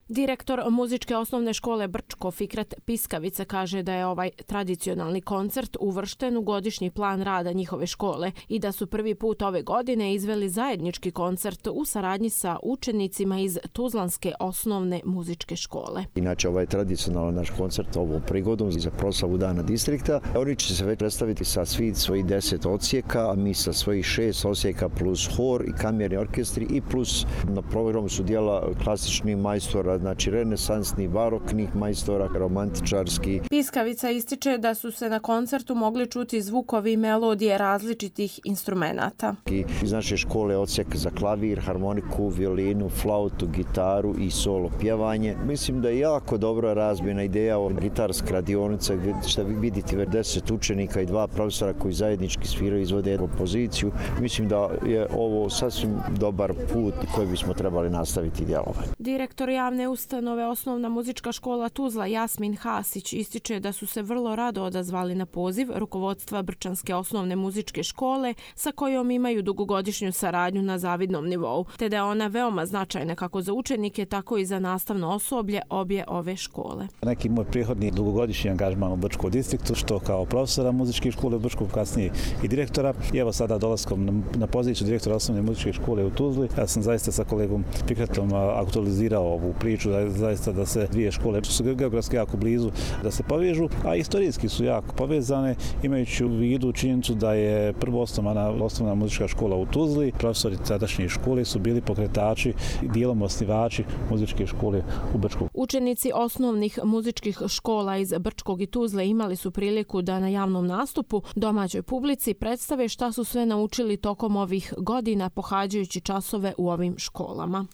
Direktor muzičke osnovne škole Brčko Fikret Piskavica kaže da je ovaj tradicionalni koncert uvršten u godišnji plan rada njihove škole i da su prvi put ove godine izveli zajednički koncert u saradnji sa učenicima iz Tuzlanske osnovne muzičke škole. Inače, ovaj tradicionalan naš koncert ovom prigodom za proslavu Dana distrikta. Oni će se već predstaviti sa svojih 10 odsjeka, a mi sa svojih 6 odsjeka plus hor i kamerni orkestri i plus na programu su dijela klasičnih majstora, znači renesansni, baroknih majstora, romantičarski. Piskavica ističe da su se na koncertu mogli čuti zvukovi i melodije različitih instrumenata. Iz naše škole odsjek za klavir, harmoniku, violinu, flautu, gitaru i solo pjevanje. Mislim da je jako dobra razmjena ideja o gitarska radionica gdje ćete vidjeti 10 učenika i 2 profesora koji zajednički sviraju i izvode kompoziciju. Mislim da je ovo sasvim dobar put koji bismo trebali nastaviti djelovanje. Direktor javne ustanove Osnovna muzička škola Tuzla Jasmin Hasić ističe da su se vrlo rado odazvali na poziv rukovodstva Brčanske osnovne muzičke škole sa kojom imaju dugogodišnju saradnju na zavidnom nivou, te da je ona veoma značajna kako za učenike, tako i za nastavno osoblje obje ove škole. Neki moj prihodni dugogodišnji angažman u Brčkom distriktu, što kao profesora muzičke škole u Brčkom, kasnije i direktora. I evo sada dolaskom na poziciju direktora osnovne muzičke škole u Tuzli, ja sam zaista sa kolegom Fikretom aktualizirao ovu priču, zaista da se dvije škole su geografski jako blizu, da se povežu, a istorijski su jako povezane, imajući u vidu činjenicu da je prvo osnovna muzička škola u Tuzli. Profesori tadašnje škole su bili pokretači i dijelom osnivači muzičke škole u Brčkom. Učenici osnovnih muzičkih škola iz Brčkog i Tuzle imali su priliku da na javnom nastupu domaćoj publici predstave šta su sve naučili tokom ovih godina pohađajući časove u ovim školama.